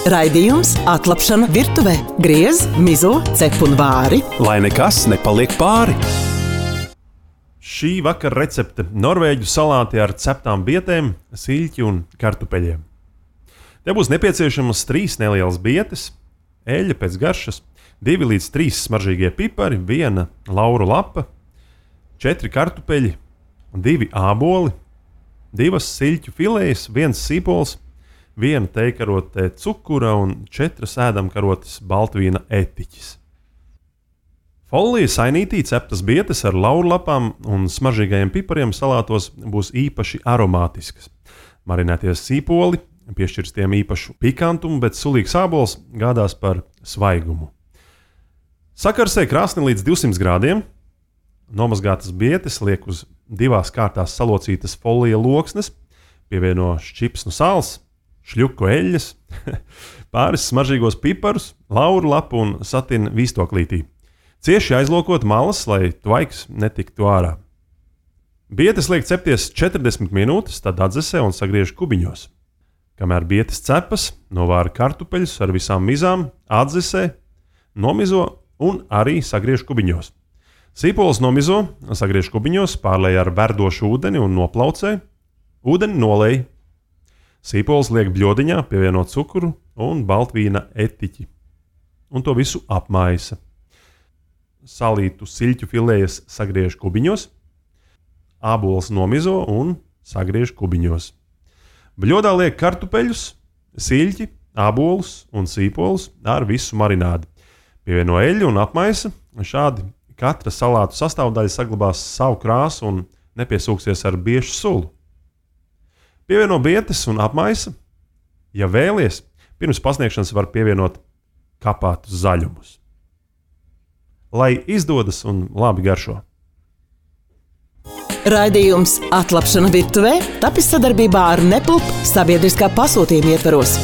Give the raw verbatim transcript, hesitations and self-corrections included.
Raidījums Atlapšana virtuvē. Griez, mizo, cep un vāri. Lai nekas nepaliek pāri. Šī vakara recepte – norvēģu salāti ar ceptām bietēm, siļķi un kartupeļiem. Te būs nepieciešamas trīs nelielas bietes, eļļa pēc garšas, divi līdz trīs smaržīgie pipari, viena lauru lapa, četri kartupeļi, divi āboli, divas siļķu filējas, viens sīpols, viena tejkarotē cukura un četras ēdamkarotes baltvīna etiķis. Folija sainītī ceptas bietes ar laurlapām un smaržīgajiem pipariem salātos būs īpaši aromātiskas. Marinēties sīpoli piešķirs tiem īpašu pikantumu, bet sulīgs ābols gādās par svaigumu. Sakarsē krāsni līdz divsimt grādiem. Nomazgātas bietes liek uz divās kārtās salocītas folija loksnes, pievieno šķipsnu sāls, šļuku eļļas, pāris smaržīgos piparus, lauru lapu un satina vīstoklītī. Cieši aizlokot malas, lai tvaiks netiktu ārā. Bietes liek cepties četrdesmit minūtes, tad atdzesē un sagriež kubiņos. Kamēr bietes cepas, novāra kartupeļus ar visām mizām, atdzesē, nomizo un arī sagriež kubiņos. Sīpols nomizo, sagriež kubiņos, pārlej ar verdošu ūdeni un noplaucē. Ūdeni nolej. Sīpols liek bļodiņā, pievieno cukuru un baltvīna etiķi. Un to visu apmaisa. Salītu siļķu filējas sagriež kubiņos. Ābols nomizo un sagriež kubiņos. Bļodā liek kartupeļus, siļķi, ābolus un sīpolus ar visu marinādi. Pievieno eļļu un apmaisa. Šādi katra salātu sastāvdaļa saglabās savu krāsu un nepiesūksies ar biešu sulu. Pievieno bietes un apmaisa. Ja vēlies, pirms pasniegšanas var pievienot kapātus zaļumus. Lai izdodas un labi garšo. Raidījums Atlapšana virtuvē tapis sadarbībā ar Nepulp sabiedriskā pasūtījuma ietvaros.